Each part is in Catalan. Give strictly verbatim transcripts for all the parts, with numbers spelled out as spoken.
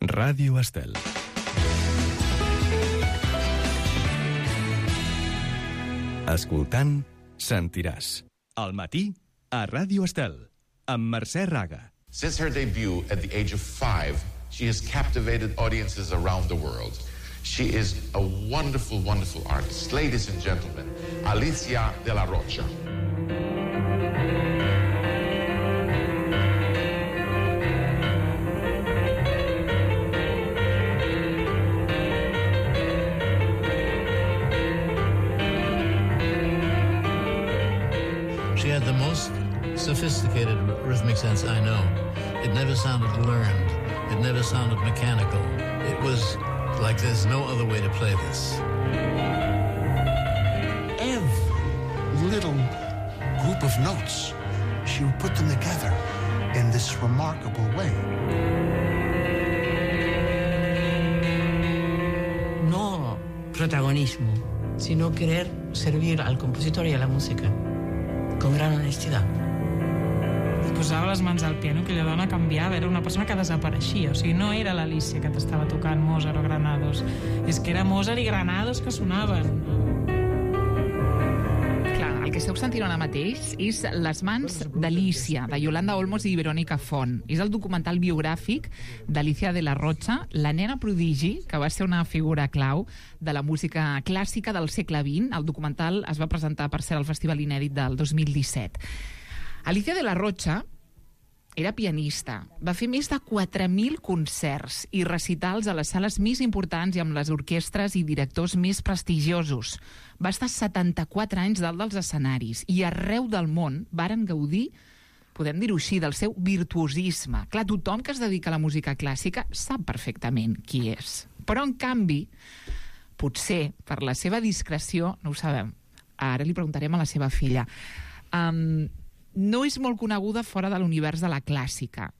Ràdio Estel. Escoltant, sentiràs. Al matí, a Ràdio Estel, amb Mercè Raga. Since her debut at the age of five, she has captivated audiences around the world. She is a wonderful, wonderful artist. Ladies and gentlemen, Alicia de la Rocha. She had the most sophisticated rhythmic sense I know. It never sounded learned. It never sounded mechanical. It was like there's no other way to play this. Every little group of notes, she would put them together in this remarkable way. No protagonismo, sino querer servir al compositor y a la música con gran honestidad. Posava les mans al piano, aquella dona canviava, era una persona que desapareixia, o sigui, no era l'Alícia que t'estava tocant Mozart o Granados, és que era Mozart i Granados que sonaven. Clar, el que esteu sentint ara mateix és Les mans d'Alícia, de Yolanda Olmos i Verònica Font. És el documental biogràfic d'Alicia de la Rocha, la nena prodigi, que va ser una figura clau de la música clàssica del segle vint. El documental es va presentar, per ser al Festival Inèdit del dos mil disset. Alicia de la Rocha era pianista, va fer més de quatre mil concerts i recitals a les sales més importants i amb les orquestres i directors més prestigiosos. Va estar setanta-quatre anys dalt dels escenaris i arreu del món varen gaudir, podem dir-ho així, del seu virtuosisme. Clar, tothom que es dedica a la música clàssica sap perfectament qui és. Però, en canvi, potser per la seva discreció, no ho sabem, ara li preguntarem a la seva filla, um, no és molt coneguda fora de l'univers de la clàssica.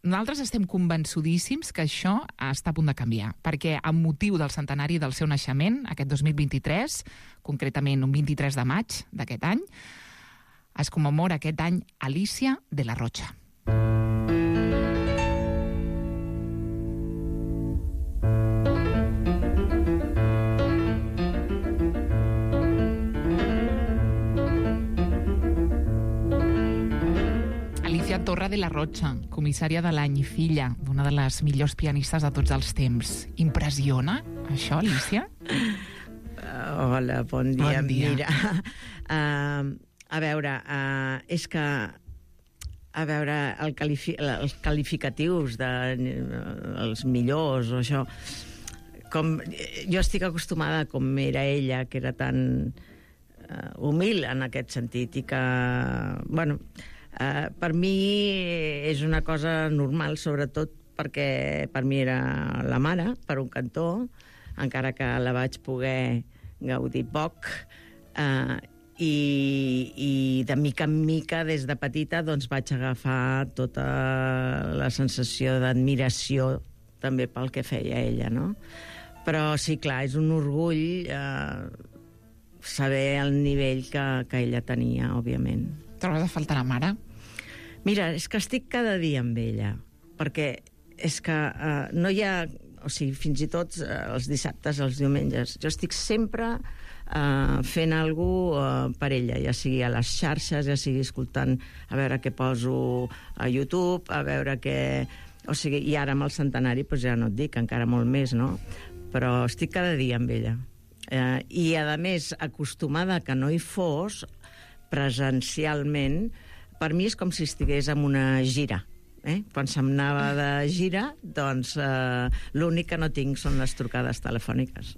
Nosaltres estem convençudíssims que això està a punt de canviar, perquè amb motiu del centenari del seu naixement, aquest dos mil vint-i-tres, concretament un vint-i-tres de maig d'aquest any, es commemora aquest any Alicia de la Rocha. Torra de la Rocha, comissària de l'any i filla d'una de les millors pianistes de tots els temps. Impressiona això, Alicia? Uh, hola, bon dia. Bon dia. Mira, uh, a veure, uh, és que a veure, el qualifi els qualificatius de, uh, els millors o això, com, jo estic acostumada com era ella, que era tan uh, humil en aquest sentit i que, bueno, Uh, per mi és una cosa normal, sobretot perquè per mi era la mare, per un cantó, encara que la vaig poder gaudir poc, uh, i, i de mica en mica, des de petita, doncs vaig agafar tota la sensació d'admiració també pel que feia ella, no? Però sí, clar, és un orgull uh, saber el nivell que, que ella tenia, òbviament. Trobes a faltar la mare? Mira, és que estic cada dia amb ella, perquè és que uh, no hi ha... O sigui, fins i tot uh, els dissabtes, els diumenges, jo estic sempre uh, fent alguna cosa uh, per ella, ja sigui a les xarxes, ja sigui escoltant a veure què poso a YouTube, a veure què... O sigui, i ara amb el centenari, doncs ja no et dic, encara molt més, no? Però estic cada dia amb ella. Uh, I, a més, acostumada que no hi fos, presencialment, per mi és com si estigués en una gira. Eh? Quan se'm anava de gira, doncs eh, l'únic que no tinc són les trucades telefòniques.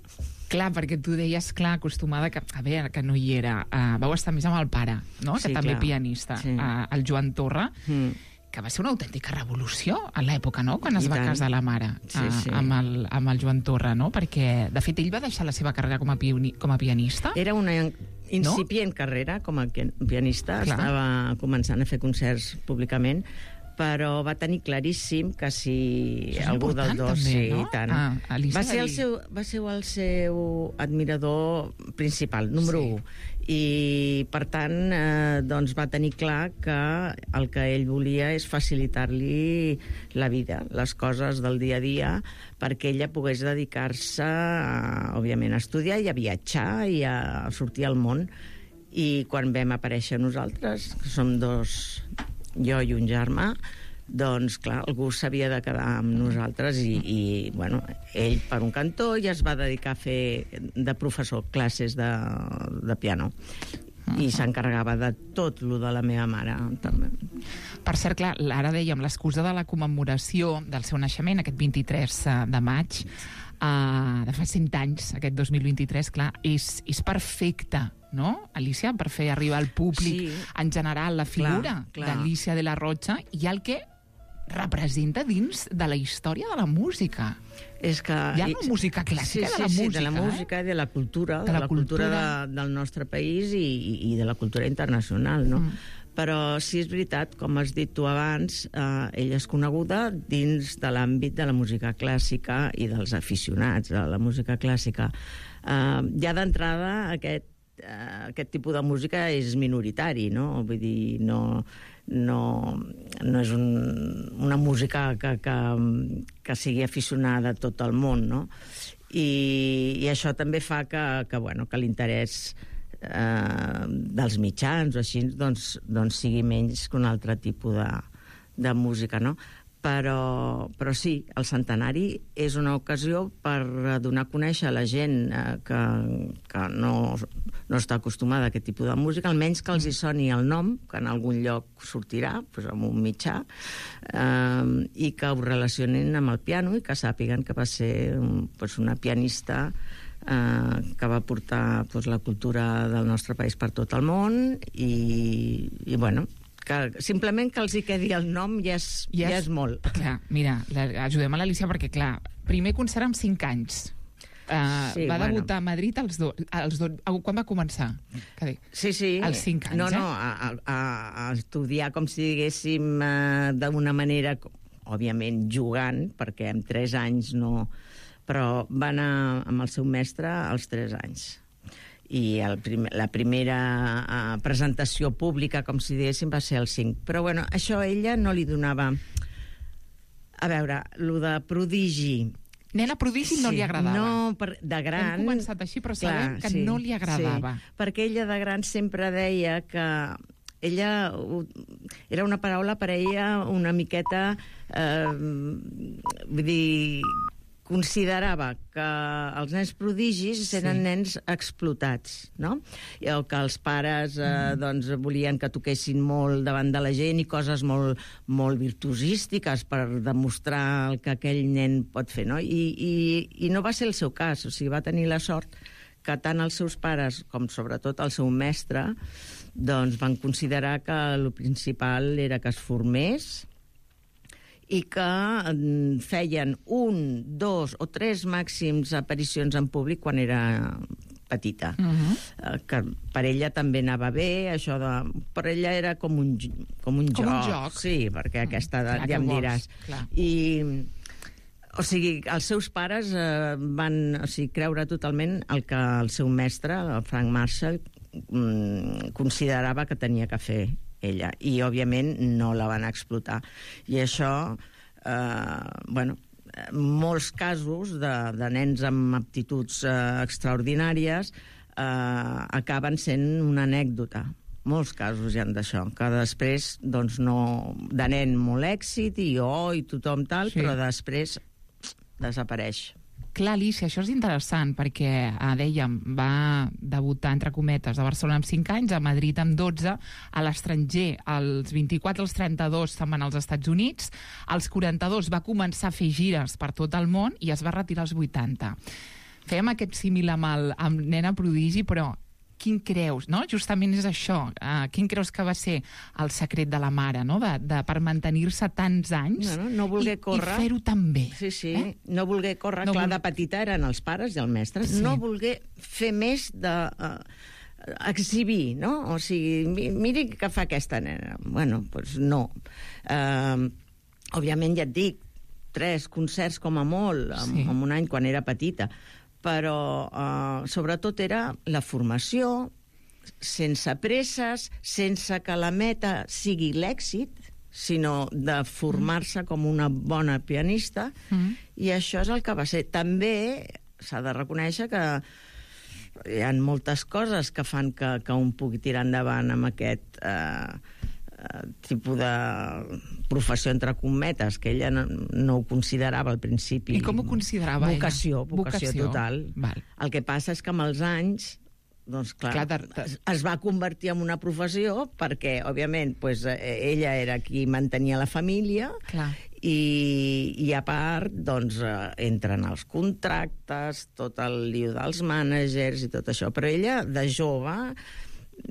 Clar, perquè tu deies, clar, acostumada que, a veure, que no hi era. Uh, vau estar més amb el pare, no? Sí, que també clar. pianista, Sí. uh, el Joan Torra, mm. que va ser una autèntica revolució a l'època, no?, quan es I va tant. casar la mare Sí, uh, sí. amb, el, amb el Joan Torra, no? Perquè, de fet, ell va deixar la seva carrera com a, pioni, com a pianista. Era una incipient no? carrera com a pianista, clar. Estava començant a fer concerts públicament, però va tenir claríssim que si algú dels dos... També, sí, no? tant. Ah, va, ser el seu, va ser el seu admirador principal, número sí. un. i per tant eh, doncs va tenir clar que el que ell volia és facilitar-li la vida, les coses del dia a dia, perquè ella pogués dedicar-se a, òbviament, a estudiar i a viatjar i a sortir al món. I quan vam aparèixer nosaltres, que som dos, jo i un germà, doncs, clar, algú s'havia de quedar amb nosaltres i, i, bueno, ell per un cantó ja es va dedicar a fer de professor classes de, de piano i s'encarregava de tot lo de la meva mare, també. Per cert, clar, ara dèiem, l'excusa de la commemoració del seu naixement, aquest vint-i-tres de maig, uh, de fa cent anys, aquest dos mil vint-i-tres, clar, és, és perfecte, no, Alicia, per fer arribar al públic, sí, en general, la figura d'Alicia de la Rocha i el que representa dins de la història de la música. És que... Hi ha una música clàssica, sí, sí, de la sí, música, de la eh? música i de la cultura, de de la, la cultura, cultura de, del nostre país i, i de la cultura internacional, no? Mm. Però sí és veritat, com has dit tu abans, eh, ella és coneguda dins de l'àmbit de la música clàssica i dels aficionats a la música clàssica. Eh, ja d'entrada, aquest, eh, aquest tipus de música és minoritari, no? Vull dir, no... no, no és un, una música que, que, que sigui aficionada a tot el món, no? I, i això també fa que, que, bueno, que l'interès eh, dels mitjans o així doncs, doncs sigui menys que un altre tipus de, de música, no? Però, però sí, el centenari és una ocasió per donar a conèixer a la gent eh, que, que no, no està acostumada a aquest tipus de música, almenys que els hi soni el nom, que en algun lloc sortirà, doncs amb un mitjà, eh, i que ho relacionin amb el piano i que sàpiguen que va ser doncs, una pianista eh, que va portar doncs, la cultura del nostre país per tot el món i, i bueno... que simplement que els hi quedi el nom ja és, ja és, ja és molt. Clar, mira, la, ajudem a l'Alicia perquè, clar, primer concert amb cinc anys. Uh, sí, va bueno. debutar a Madrid als do, als do, quan va començar? Sí, sí. Als cinc anys, no, no, eh? a, a, a estudiar, com si diguéssim, uh, d'una manera, òbviament, jugant, perquè amb tres anys no... Però va anar amb el seu mestre als tres anys. I el prim la primera uh, presentació pública, com si diguéssim, va ser el cinc. Però, bueno, això a ella no li donava... A veure, lo de prodigi... Nena prodigi no sí, li agradava. No, per, de gran... Hem començat així, però sabem clar, que sí, no li agradava. Sí, perquè ella de gran sempre deia que... Ella... Era una paraula per a ella una miqueta... Eh, vull dir... considerava que els nens prodigis eren sí. nens explotats, no? O que els pares eh, mm. doncs, volien que toquessin molt davant de la gent i coses molt, molt virtuosístiques per demostrar el que aquell nen pot fer, no? I, i, i no va ser el seu cas, o sigui, va tenir la sort que tant els seus pares com sobretot el seu mestre doncs, van considerar que el principal era que es formés i que feien un, dos o tres màxims aparicions en públic quan era petita. Uh-huh. Que per ella també anava bé, això de... Per ella era com un, com un, com joc. un joc. Sí, perquè a aquesta edat clar, ja em diràs. Clar. I... O sigui, els seus pares eh, van o sigui, creure totalment el que el seu mestre, el Frank Marshall, mm, considerava que tenia que fer ella, i òbviament no la van explotar. I això, eh, bueno, molts casos de, de nens amb aptituds eh, extraordinàries eh, acaben sent una anècdota. Molts casos hi ha d'això, que després, doncs, no... De nen molt èxit i oh, i tothom tal, sí. Però després desapareix. Clar, Alicia, això és interessant perquè, eh, dèiem, va debutar, entre cometes, a Barcelona amb cinc anys, a Madrid amb dotze, a l'estranger, als vint-i-quatre, als trenta-dos se'n van als Estats Units, als quaranta-dos va començar a fer gires per tot el món i es va retirar als vuitanta. Fèiem aquest símil amb, el, amb Nena Prodigi, però quin creus, no? Justament és això. Uh, quin creus que va ser el secret de la mare, no? De, de, per mantenir-se tants anys no, no, no voler i, córrer. I fer-ho tan bé. Sí, sí. Eh? No voler córrer. No Clar, vol... de petita eren els pares i el mestre. Sí. No voler fer més de... Uh, exhibir, no? O sigui, miri què fa aquesta nena. Bueno, doncs no. Uh, òbviament, ja et dic, tres concerts com a molt, en, sí. en un any quan era petita, però uh, sobretot era la formació, sense presses, sense que la meta sigui l'èxit, sinó de formar-se com una bona pianista, mm. i això és el que va ser. També s'ha de reconèixer que hi ha moltes coses que fan que, que un pugui tirar endavant amb aquest eh, eh, tipus de professió entre cometes, que ella no, no ho considerava al principi. I com ho considerava vocació, ella? Vocació, vocació total. Val. El que passa és que amb els anys doncs clar, clar de, de... es va convertir en una professió perquè, òbviament, pues, ella era qui mantenia la família clar. i, i a part, doncs, entren els contractes, tot el lío dels mànagers i tot això. Però ella, de jove,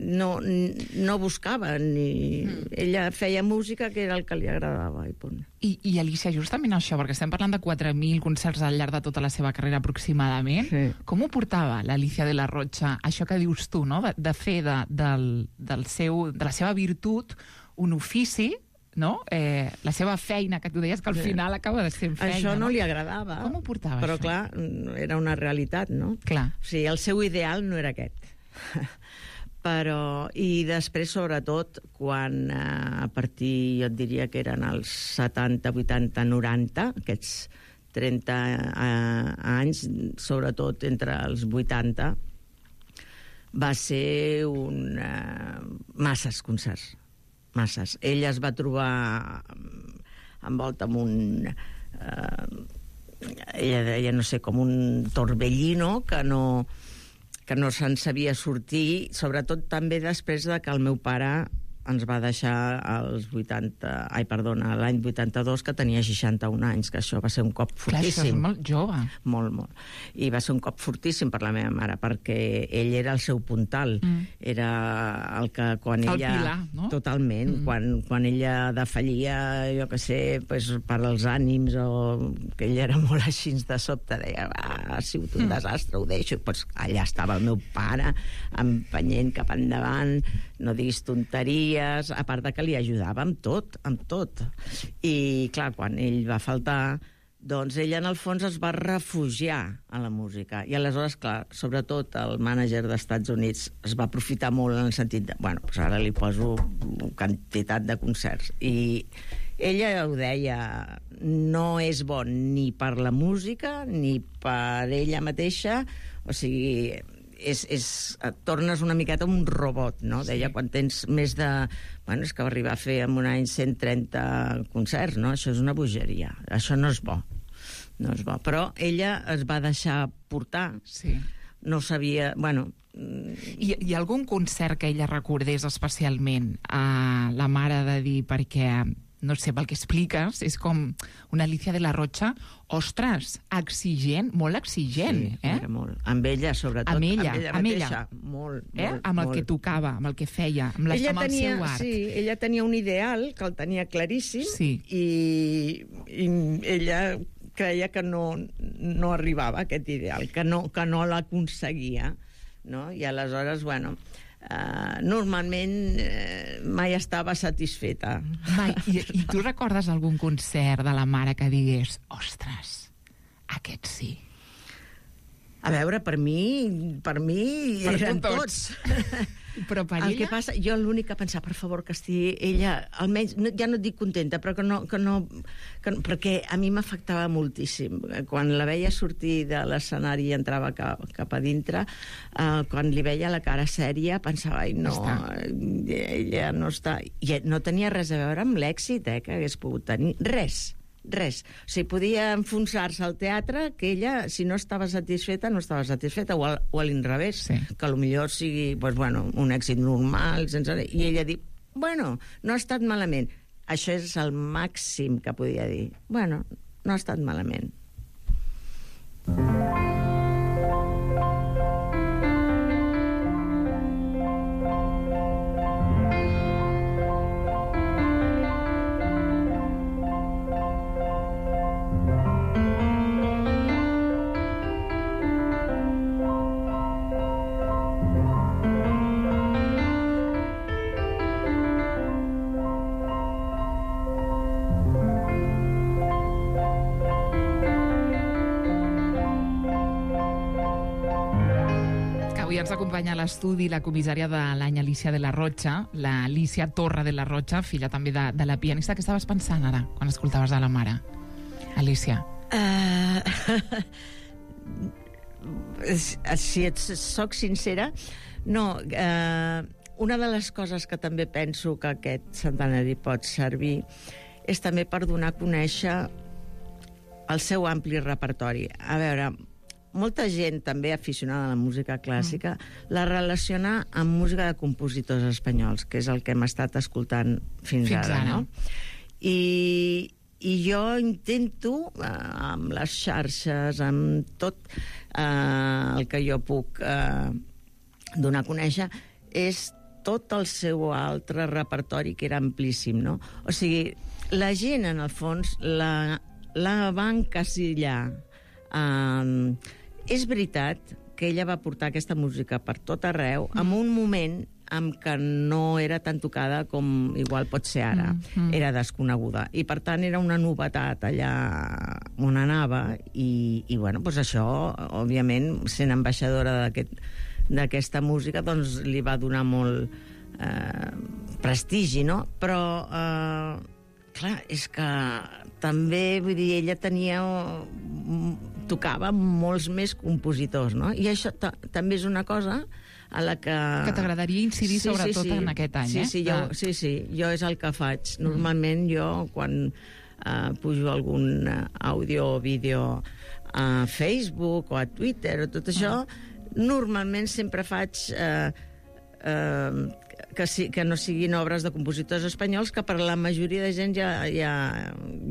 no, no buscava ni... Mm. Ella feia música que era el que li agradava i punt. I, i Alicia, justament això, perquè estem parlant de quatre mil concerts al llarg de tota la seva carrera aproximadament, sí. Com ho portava l'Alicia de la Rocha, això que dius tu, no? de, de fer de, del, del seu, de la seva virtut un ofici, no? Eh, la seva feina, que tu deies que al sí. final acaba de ser feina. Això no, no li agradava. Com ho portava, però, això? Però, clar, era una realitat, no? Clar. O sigui, el seu ideal no era aquest. Però, i després, sobretot, quan eh, a partir, jo et diria que eren els setanta, vuitanta, noranta, aquests trenta eh, anys, sobretot entre els vuitanta, va ser un... Eh, masses concerts, masses. Ella es va trobar envolta amb un... Eh, ella deia, no sé, com un torbellino que no... que no se'n sabia sortir, sobretot també després de que el meu pare ens va deixar als vuitanta... Ai, perdona, l'any vuitanta-dos, que tenia seixanta-un anys, que això va ser un cop fortíssim. Clar, això és molt jove. Molt, molt. I va ser un cop fortíssim per la meva mare, perquè ell era el seu puntal. Mm. Era el que quan el ella... El pilar, no? Totalment. Mm. Quan, quan ella defallia, jo què sé, pues, per als ànims, o que ella era molt així de sobte, deia, va, ha sigut un mm. desastre, ho deixo. Pues allà estava el meu pare, empenyent cap endavant, no diguis tonteries, a part de que li ajudava amb tot, amb tot. I, clar, quan ell va faltar, doncs ella, en el fons, es va refugiar a la música. I aleshores, clar, sobretot el mànager dels Estats Units es va aprofitar molt en el sentit de, bueno, doncs ara li poso quantitat de concerts. I ella ho deia, no és bon ni per la música ni per ella mateixa, o sigui... És, és, et tornes una miqueta un robot, no? Sí. Deia, quan tens més de... Bueno, és que va arribar a fer en un any cent trenta concerts, no? Això és una bogeria. Això no és bo. No és bo. Però ella es va deixar portar. Sí. No sabia... Bueno... Hi, hi ha algun concert que ella recordés especialment a la mare de dir, perquè... no sé, pel que expliques, és com una Alicia de la Rocha, ostres, exigent, molt exigent. Sí, eh? era molt. Amb ella, sobretot. Amb ella, amb ella, amb mateixa. ella. Molt, eh? molt, amb el molt. que tocava, amb el que feia, amb, les, amb tenia, el seu art. Sí, ella tenia un ideal, que el tenia claríssim, sí. i, i ella creia que no, no arribava a aquest ideal, que no, que no l'aconseguia, no? I aleshores, bueno... Uh, normalment uh, mai estava satisfeta. Mai. I, I tu recordes algun concert de la mare que digués, ostres, aquest sí? A veure, per mi, per mi per eren tots. tots. Però per el ella... que passa, jo l'únic que pensava, per favor, que estigui ella, almenys, no, ja no et dic contenta, però que no... Que no, que no perquè a mi m'afectava moltíssim. Quan la veia sortir de l'escenari i entrava cap, cap a dintre, eh, quan li veia la cara sèria, pensava, ai, no, ella no està... I no tenia res a veure amb l'èxit, eh, que hagués pogut tenir. Res. Res. O sigui, podia enfonsar-se al teatre, que ella, si no estava satisfeta, no estava satisfeta, o, al, o a l'inrevés, sí. Que potser sigui, pues, bueno, un èxit normal, sense... I ella diu, bueno, no ha estat malament. Això és el màxim que podia dir. Bueno, no ha estat malament. Avui ens acompanya a l'estudi la comissària de l'any Alicia de la Rocha, la Alicia Torra de la Rocha, filla també de, de la pianista. Què estaves pensant ara, quan escoltaves a la mare, Alicia? Uh, si et soc sincera, no... Uh, una de les coses que també penso que aquest centenari pot servir és també per donar a conèixer el seu ampli repertori. A veure, molta gent també aficionada a la música clàssica mm. la relaciona amb música de compositors espanyols, que és el que hem estat escoltant fins, fins ara, ara. No? I, i jo intento, eh, amb les xarxes, amb tot eh, el que jo puc eh, donar a conèixer, és tot el seu altre repertori, que era amplíssim, no? O sigui, la gent, en el fons, la, la va encasillar. Um, és veritat que ella va portar aquesta música per tot arreu, mm. en un moment en què no era tan tocada com igual pot ser ara. Mm. Mm. Era desconeguda. I, per tant, era una novetat allà on anava. I, i bueno, doncs això, òbviament, sent ambaixadora d'aquest d'aquesta música, doncs li va donar molt eh, prestigi, no? Però, eh, clar, és que també, vull dir, ella tenia... tocava molts més compositors, no? I això també és una cosa a la que... Que t'agradaria incidir sí, sobretot sí, sí. en aquest any, sí, eh? Sí, jo, sí, sí, jo és el que faig. Normalment jo, quan eh, pujo algun àudio o vídeo a Facebook o a Twitter o tot això, ah. normalment sempre faig eh, eh, que, si, que no siguin obres de compositors espanyols, que per la majoria de gent ja, ja,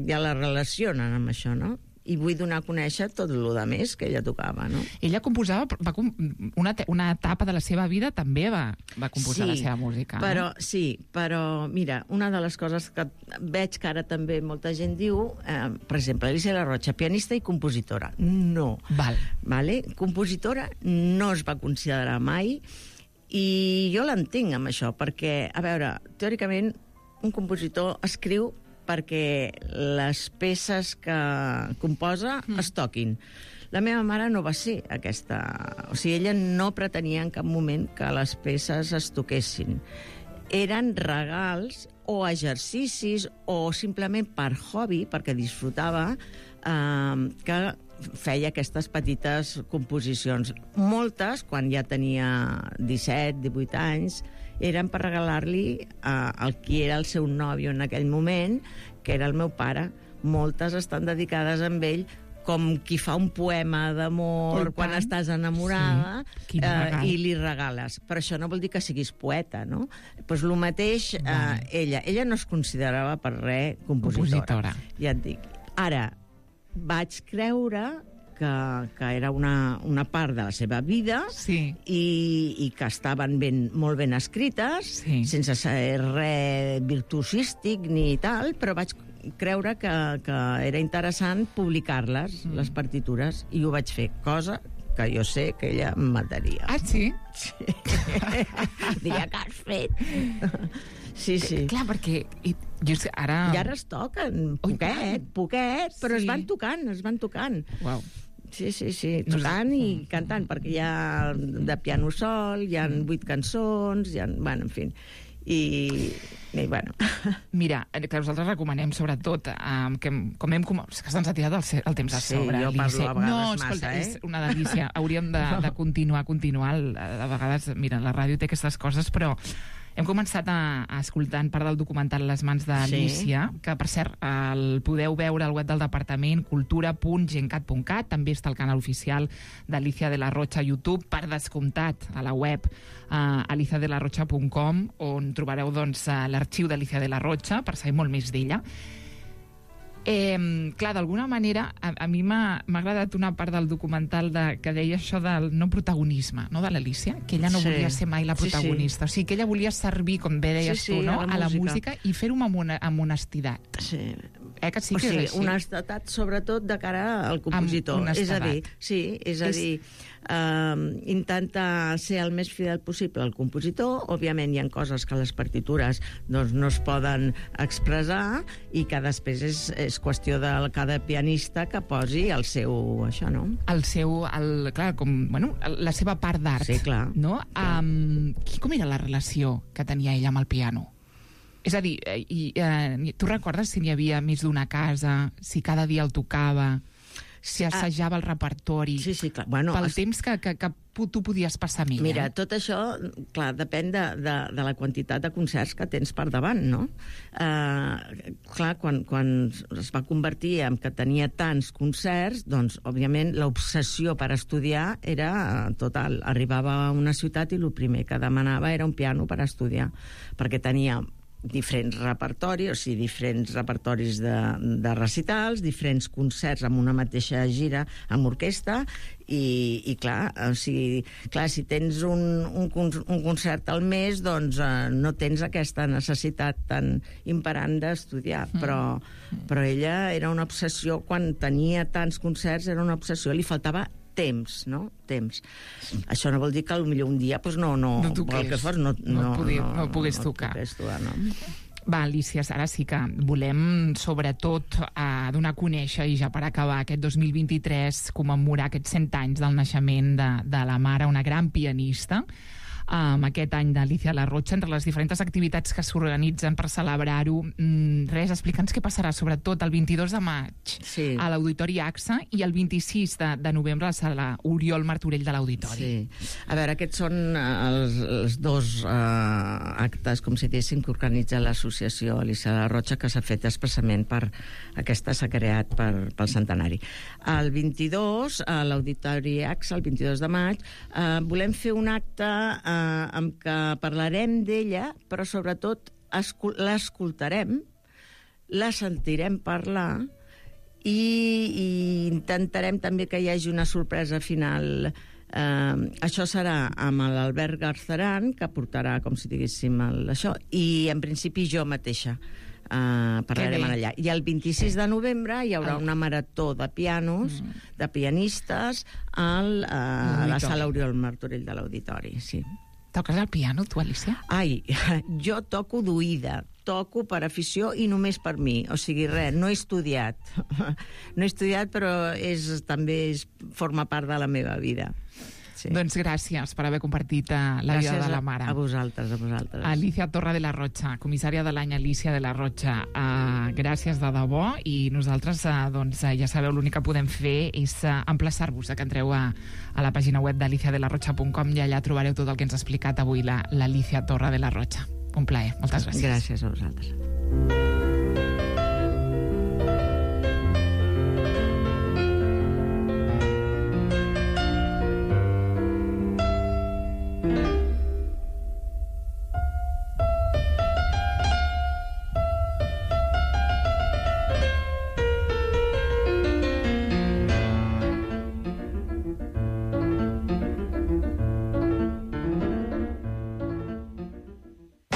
ja la relacionen amb això, no? I vull donar a conèixer tot el que més que ella tocava, no? Ella composava, va, una, una etapa de la seva vida també va, va composar sí, la seva música. Però, no? Sí, però mira, una de les coses que veig que ara també molta gent diu, eh, per exemple, Alicia de la Rocha, pianista i compositora. No. Val. Vale? Compositora no es va considerar mai, i jo l'entenc amb això, perquè, a veure, teòricament, un compositor escriu perquè les peces que composa mm. es toquin. La meva mare no va ser aquesta... O sigui, ella no pretenia en cap moment que les peces es toquessin. Eren regals o exercicis o simplement per hobby, perquè disfrutava, eh, que feia aquestes petites composicions. Moltes, quan ja tenia disset, divuit anys, eren per regalar-li uh, el qui era el seu nòvio en aquell moment, que era el meu pare. Moltes estan dedicades a ell com qui fa un poema d'amor quan estàs enamorada, sí. uh, i li regales. Però això no vol dir que siguis poeta, no? Doncs pues el mateix, uh, ella. Ella no es considerava per res compositora. compositora. Ja et dic. Ara, vaig creure que, que era una, una part de la seva vida, sí. i, i que estaven ben, molt ben escrites, sí. sense ser res virtuosístic ni tal, però vaig creure que, que era interessant publicar-les, mm. les partitures, i ho vaig fer, cosa que jo sé que ella em mataria. Ah, sí? Sí. Diria, que has fet? Sí, sí. Clar, perquè jo ara... I ara es toquen, poquet, poquet, però sí. es van tocant, es van tocant. Uau. Sí, sí, sí, tocant i cantant, perquè hi ha de piano sol, hi ha vuit cançons, hi ha... Bueno, en fi... I, i bueno... Mira, que nosaltres recomanem sobretot eh, que com hem... És que se'ns ha tirat el, el temps a sobre. Sí, jo parlo a vegades no, massa, escolta, eh? És una delícia. Hauríem de, de continuar, continuar. A vegades, mira, la ràdio té aquestes coses, però hem començat a, a escoltar part del documental Les mans d'Alicia, sí. que, per cert, el podeu veure al web del departament, cultura punt gencat punt cat, també està al canal oficial d'Alicia de la Rocha a YouTube, per descomptat, a la web uh, alicia de la rocha punt com, on trobareu doncs, uh, l'arxiu d'Alicia de la Rocha, per saber molt més d'ella. Eh, clar, d'alguna manera, a, a mi m'ha agradat una part del documental de, que deia això del no protagonisme, no, de l'Alicia, que ella no sí. volia ser mai la protagonista. Sí, sí. O sigui, que ella volia servir, com bé deies sí, sí, tu, no? a la, a la música. música i fer-ho amb, una, amb honestitat. Sí. Eh, que sí o que sigui, és així? honestedat sobretot de cara al compositor. Amb honestedat. És a dir, sí, és a És- dir, eh, intenta ser el més fidel possible al compositor. Òbviament hi ha coses que les partitures doncs, no es poden expressar i que després és, és qüestió de cada pianista que posi el seu... això, no? El seu, el, clar, com, bueno, la seva part d'art. Sí, clar. No? Um, com era la relació que tenia ella amb el piano? És a dir, eh, i, eh, tu recordes si n'hi havia més d'una casa, si cada dia el tocava, si assajava el repertori? Sí, sí, clar. Bueno, pel es... temps que, que, que tu podies passar amb ella. Mira, tot això, clar, depèn de, de, de la quantitat de concerts que tens per davant, no? Uh, clar, quan, quan es va convertir en que tenia tants concerts, doncs, òbviament, l'obsessió per estudiar era total. Arribava a una ciutat i el primer que demanava era un piano per estudiar, perquè tenia diferents repertoris, o sigui, diferents repertoris de, de recitals, diferents concerts amb una mateixa gira amb orquestra, i, i clar, o sigui, clar, si tens un, un, un concert al mes, doncs eh, no tens aquesta necessitat tan imperant d'estudiar, mm. però, però ella era una obsessió, quan tenia tants concerts era una obsessió, li faltava temps, no? Temps. Això no vol dir que potser un dia pues, no, no, no toqués, que fos, no, no, no, poder, no, no pogués no, tocar. No pogués tocar, no? Va, Alícia, ara sí que volem, sobretot, eh, donar a conèixer, i ja per acabar, aquest dos mil vint-i-tres, commemorar aquests cent anys del naixement de, de la mare, una gran pianista, amb aquest any d'Alícia La Rocha, entre les diferents activitats que s'organitzen per celebrar-ho. Mm, res, explica'ns què passarà, sobretot el vint-i-dos de maig sí. a l'Auditori A X A i el vint-i-sis de, de novembre a la sala Oriol Martorell de l'Auditori. Sí. A veure, aquests són els, els dos uh, actes, com si diguéssim, que organitza l'associació Alícia La Rocha, que s'ha fet expressament per aquesta, s'ha creat per, pel centenari. El vint-i-dos, a l'Auditori A X A, el vint-i-dos de maig, uh, volem fer un acte uh, amb què parlarem d'ella, però sobretot l'escoltarem, la sentirem parlar i, i intentarem també que hi hagi una sorpresa final. Uh, això serà amb l'Albert Garceran, que portarà, com si diguéssim, el, això, i en principi jo mateixa. Uh, parlarem allà. I el vint-i-sis de novembre hi haurà una marató de pianos, mm. de pianistes al, uh, a la sala Oriol Martorell de l'Auditori, sí. Toques el piano, tu, Alícia? Ai, jo toco d'oïda, toco per afició i només per mi, o sigui, res, no he estudiat. No he estudiat, però és, també és, forma part de la meva vida. Sí. Doncs gràcies per haver compartit uh, la gràcies vida de la mare. A, a vosaltres, a vosaltres. Alícia Torra de la Rocha, comissària de l'any Alícia de la Rocha. Uh, gràcies de debò, i nosaltres uh, doncs, uh, ja sabeu, l'únic que podem fer és uh, emplaçar-vos a que entreu a, a la pàgina web d'alicia de la rocha punt com i allà trobareu tot el que ens ha explicat avui l'Alícia Torra de la Rocha. Un plaer, moltes gràcies. Gràcies a vosaltres.